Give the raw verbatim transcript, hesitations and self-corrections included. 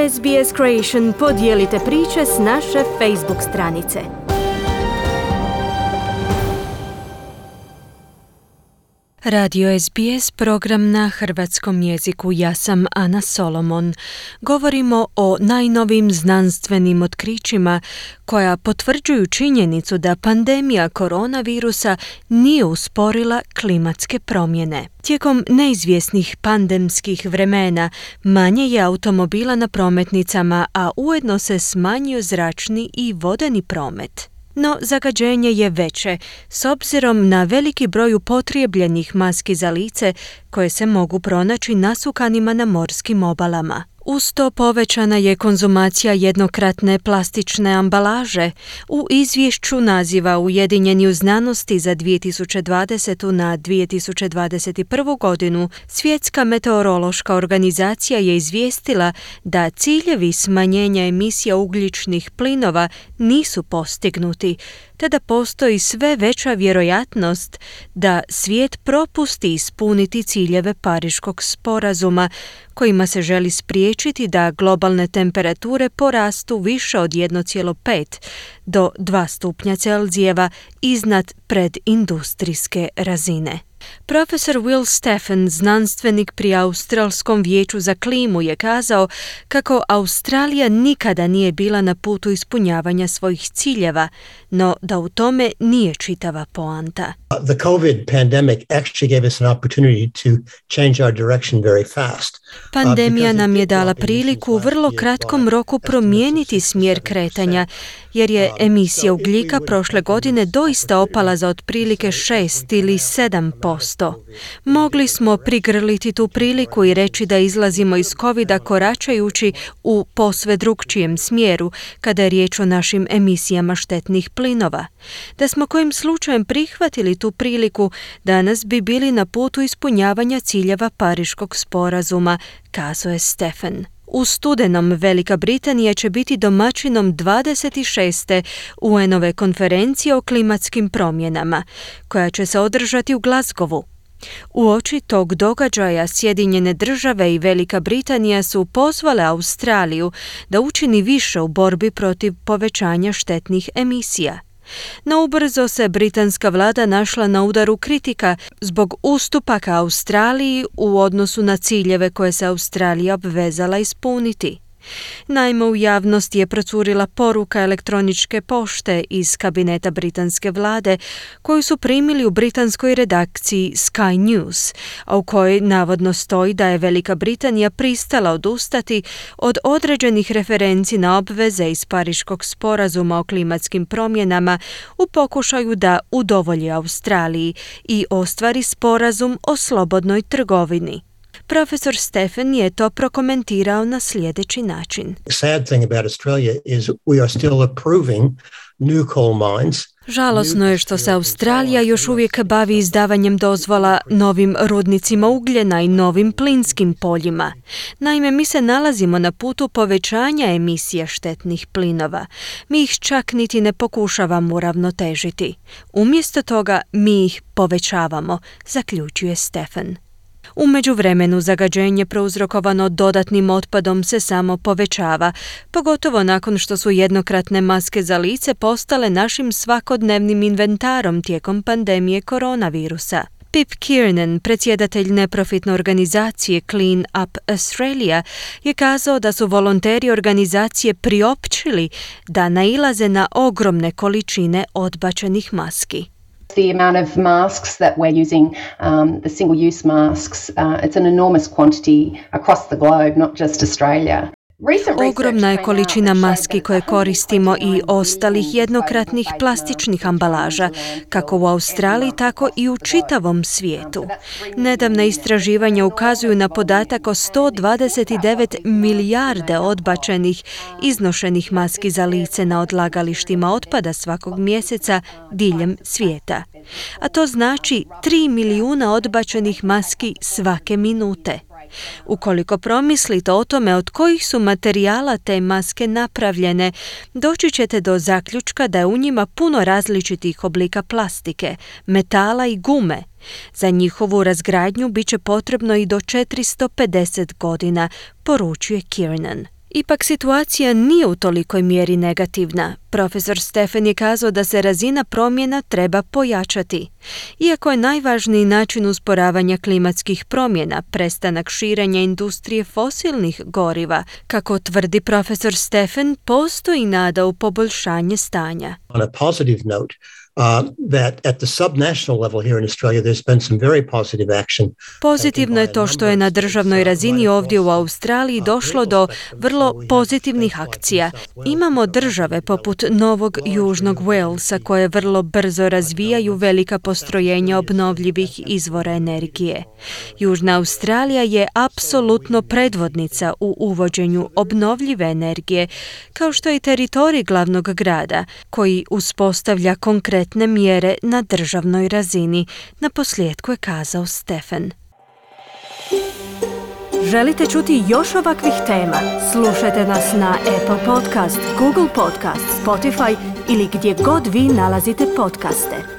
S B S Creation podijelite priče s naše Facebook stranice. Radio S B S, program na hrvatskom jeziku. Ja sam Ana Solomon. Govorimo o najnovim znanstvenim otkrićima koja potvrđuju činjenicu da pandemija koronavirusa nije usporila klimatske promjene. Tijekom neizvjesnih pandemskih vremena manje je automobila na prometnicama, a ujedno se smanjio zračni i vodeni promet. No, zagađenje je veće, s obzirom na veliki broj upotrebljenih maski za lice koje se mogu pronaći nasukanima na morskim obalama. Uz to povećana je konzumacija jednokratne plastične ambalaže. U izvješću naziva Ujedinjeni u znanosti za dvije tisuće dvadesete. na dvije tisuće dvadeset prvu. godinu Svjetska meteorološka organizacija je izvijestila da ciljevi smanjenja emisija ugljičnih plinova nisu postignuti, te da postoji sve veća vjerojatnost da svijet propusti ispuniti ciljeve Pariškog sporazuma, kojima se želi spriječiti da globalne temperature porastu više od jedan zarez pet do dva stupnja Celzijeva iznad predindustrijske razine. Profesor Will Steffen, znanstvenik pri Australskom vijeću za klimu, je kazao kako Australija nikada nije bila na putu ispunjavanja svojih ciljeva, no da u tome nije čitava poanta. The COVID pandemic actually gave us an opportunity to change our direction very fast. Pandemija nam je dala priliku u vrlo kratkom roku promijeniti smjer kretanja, jer je emisija ugljika prošle godine doista opala za otprilike šest ili sedam posto. Mogli smo prigrliti tu priliku i reći da izlazimo iz covida koračajući u posve drukčijem smjeru kada je riječ o našim emisijama štetnih plinova. Da smo kojim slučajem prihvatili tu priliku, danas bi bili na putu ispunjavanja ciljeva Pariškog sporazuma, kazao je Steffen. U studenom Velika Britanija će biti domaćinom dvadeset šeste U N-ove konferencije o klimatskim promjenama, koja će se održati u Glasgowu. Uoči tog događaja Sjedinjene države i Velika Britanija su pozvale Australiju da učini više u borbi protiv povećanja štetnih emisija. No ubrzo se britanska vlada našla na udaru kritika zbog ustupaka Australiji u odnosu na ciljeve koje se Australija obvezala ispuniti. Naime, u javnost je procurila poruka elektroničke pošte iz kabineta britanske vlade koju su primili u britanskoj redakciji Sky News, a u kojoj navodno stoji da je Velika Britanija pristala odustati od određenih referenci na obveze iz Pariškog sporazuma o klimatskim promjenama u pokušaju da udovolji Australiji i ostvari sporazum o slobodnoj trgovini. Profesor Steffen je to prokomentirao na sljedeći način. Sad thing about Australia is we are still approving new coal mines. Žalosno je što se Australija još uvijek bavi izdavanjem dozvola novim rudnicima ugljena i novim plinskim poljima. Naime, mi se nalazimo na putu povećanja emisija štetnih plinova. Mi ih čak niti ne pokušavamo uravnotežiti. Umjesto toga mi ih povećavamo, zaključuje Steffen. U međuvremenu zagađenje prouzrokovano dodatnim otpadom se samo povećava, pogotovo nakon što su jednokratne maske za lice postale našim svakodnevnim inventarom tijekom pandemije koronavirusa. Pip Kiernan, predsjedatelj neprofitne organizacije Clean Up Australia, je kazao da su volonteri organizacije priopćili da nailaze na ogromne količine odbačenih maski. The amount of masks that we're using, um, the single-use masks, uh, it's an enormous quantity across the globe, not just Australia. Ogromna je količina maski koje koristimo i ostalih jednokratnih plastičnih ambalaža, kako u Australiji, tako i u čitavom svijetu. Nedavna istraživanja ukazuju na podatak o sto dvadeset devet milijarde odbačenih, iznošenih maski za lice na odlagalištima otpada svakog mjeseca diljem svijeta. A to znači tri milijuna odbačenih maski svake minute. Ukoliko promislite o tome od kojih su materijala te maske napravljene, doći ćete do zaključka da je u njima puno različitih oblika plastike, metala i gume. Za njihovu razgradnju bit će potrebno i do četiristo pedeset godina, poručuje Kiernan. Ipak situacija nije u tolikoj mjeri negativna. Profesor Stephen je kazao da se razina promjena treba pojačati. Iako je najvažniji način usporavanja klimatskih promjena prestanak širenja industrije fosilnih goriva, kako tvrdi profesor Stephen, postoji nada u poboljšanje stanja. On a positive note, Uh, that at the subnational level here in Australia there's been some very positive action. Pozitivno je to što je na državnoj razini ovdje u Australiji došlo do vrlo pozitivnih akcija. Imamo države poput Novog Južnog Walesa koje vrlo brzo razvijaju velika postrojenja obnovljivih izvora energije. Južna Australija je apsolutno predvodnica u uvođenju obnovljive energije, kao što je i teritorij glavnog grada, koji uspostavlja konkretne mjere na državnoj razini, na posljedku je kazao Stephen. Želite čuti još ovakvih tema? Slušajte nas na Apple Podcast, Google Podcast, Spotify ili gdje god vi nalazite podcaste.